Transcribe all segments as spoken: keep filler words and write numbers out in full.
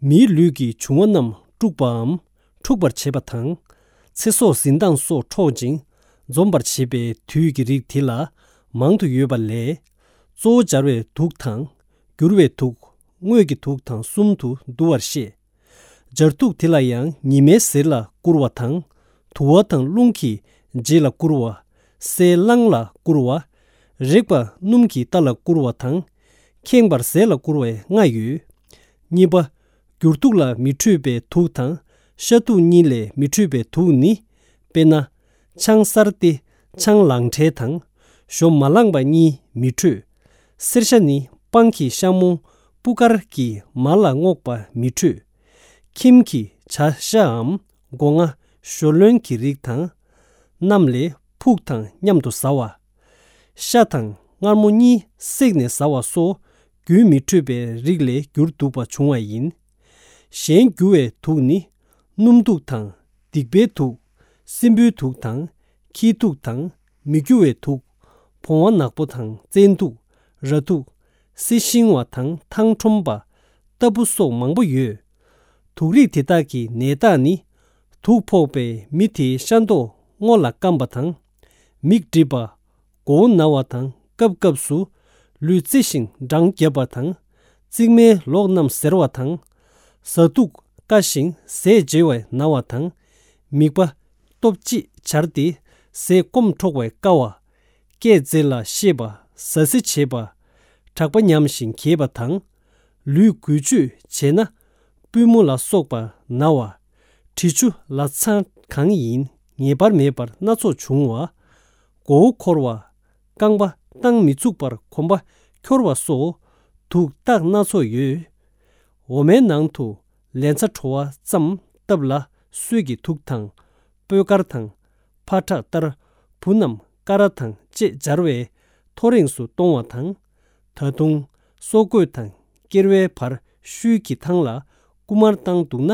མིའི་ལུས་ཀྱི་འབྱུང་བ་རྣམས་དཀྲུག་པའམ་འཁྲུགས་པར་བྱེད་པ་དང་། ཚེ་སྲོག་འཛིན་སྟངས་སོགས་འཕྲོག་ཅིང་འཛོམས་པར་བྱེད་པའི་དུས་ཀྱི་རིགས་དེ་ལ་མང་དུ་ཡོད་པ་ལས། གཙོ་བོ་སྦྱར་བའི་དུག་དང་། འགྱུར་བའི་དུག་དངོས་ཀྱི་དུག་དང་གསུམ་དུ་འདུ་བར་བཤད། སྦྱར་དུག་དེ་ལ་ཡང་ཉི་མའི་ཟེར་ལ་བསྐུར་བ་དང་། དུ་བ་དང་རླུང་གི་རྗེས་ལ་བསྐུར་བ། སའི་རླངས་ལ་བསྐུར་བ། རེག་པ་སྣུམ་གྱི་རྟ་ལ་བསྐུར་བ་དང་། ཁེངས་པར་ཟས་ལ་བསྐུར་བའི་ལྔ་ཡོད། གཉིས་པ། འགྱུར་དུག་ལ་མི་འཕྲོད་པའི་དུག་དང་། ཤ་དུག་གཉིས་ལས་མི་འཕྲོད་པའི་དུག་ནི། དཔེར་ན། ཆང་གསར་ཏེ་ཆང་ལང་ཁྲལ་དང་། ཞོ་མ་ལངས་པ་གཉིས་མི་འཕྲོད། སེར་ཤ་ནི་སྤང་གི་ཤ་མོ་སྤུ་དཀར་གྱི་མར་ལ་བརྔོགས་པ་མི་འཕྲོད། ཁྱིམ་གྱི་བྱ་ཤའམ་སྒོ་ང་ཞོ་ལོན་གྱི་རིགས་དང་། རྣམས་ལས་ཕུག་དང་མཉམ་དུ་ཟ་བ། ཤ་དང་མངར་མོ་གཉིས་བསྲེགས་ནས་ཟ་བ་སོགས་རྒྱུན་མི་འཕྲོད་པའི་རིགས་ལས་འགྱུར་དུག་པ་འབྱུང་བ་ཡིན། གཞན་འགྱུར་བའི་དུག་ནི། སྣུམ་དུག་དང་། སྡིག་པའི་དུག་སྲིན་བུའི་དུག་དང་། ཁྱི་དུག་དང་། མི་འགྱུར་བའི་དུག་བོང་བ་ནག་པོ་དང་བཙན་དུག་ར་དུག་སྲི་ཤིང་བ་དང་ཐང་ཁྲོམ་པ་ལྟ་བུ་སོགས་མང་པོ་ཡོད། དུག་རིགས་དེ་དག་གི་ནད་རྟགས་ནི། དུག་ཕོག་པའི་མི་དེའི་ཤ་མདོག་སྔོ་ལ་སྐམ་པ་དང་། མིག་འགྲིབ་པ། མགོ་བོ་ན་བ་དང་སྐབས་སྐབས་སུ་ལུས་རྩེ་ཞིང་འགྲང་རྒྱབ་པ་དང་། རྩིག་མའི་ལོགས་རྣམས་གཟེར་བ་དང་། ཟ་དུག་བཀའ་ཞིང་ཟས་བརྗེ་བས་ན་བ་དང་། མིད་པ་སྟོབས་ཅིག་འབྱར་ཏེ་ཟས་སྐོམ་འཕྲོག་པས་བཀའ་བ། སྐད་རྫས་ལ་ཤེས་པ། ཟ་ཟི་བྱེད་པ། གྲགས་པ་ཉམས་ཤིང་གྱེས་པ་དང་། ལུས་འགུལ་སྤྱོད་བྱས་ན། པུས་མོ་ལ་སོགས་པ་ན་བ། དྲི་ཆུ་ལ་ཚ་གང་ཡིན་ངེས་པར་མེད་པར་སྣ་ཚོགས་འབྱུང་བ། མགོ་བོ་འཁོར་བ། རྐང་པ་བཏང་མི་ཚུགས་པར་གོམ་པ་འཁྱོར་བ་སོགས་དུག་རྟགས་སྣ་ཚོགས་ཡོད། འོ་མའི་ནང་དུ་ལན་ཚྭ་བྲོ་བ་ཙམ་བཏབ་ལ་སོས་ཀྱི་དུག་དང་། སྤོས་དཀར་དང་། ཕ་ཁྲག་ལྟར་བུ་རྣམས་ཀ་ར་དང་བཅས་སྦྱར་བས་ཐོ་རེངས་སུ་གཏོང་བ་དང་། ད་དུང་སོ་བརྐོས་དང་སྐྱེར་བའི་བར་ཤུལ་གྱི་ཐང་ལ་རྐུ་མར་བཏང་འདུག་ན།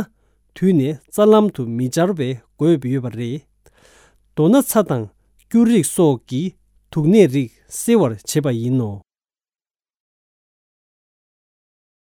དུས་ནས་རྩ་ལམ་དུ་མི་སྦྱར་བའི་དགོས་ཡོད་པ་རེད། མདོར་ན་ཚྭ་དང་སྐྱུར་རིགས་སོགས་ཀྱིས་དུག་ནད་རིགས་སེལ་བར་བྱེད་པ་ཡིན་ནོ།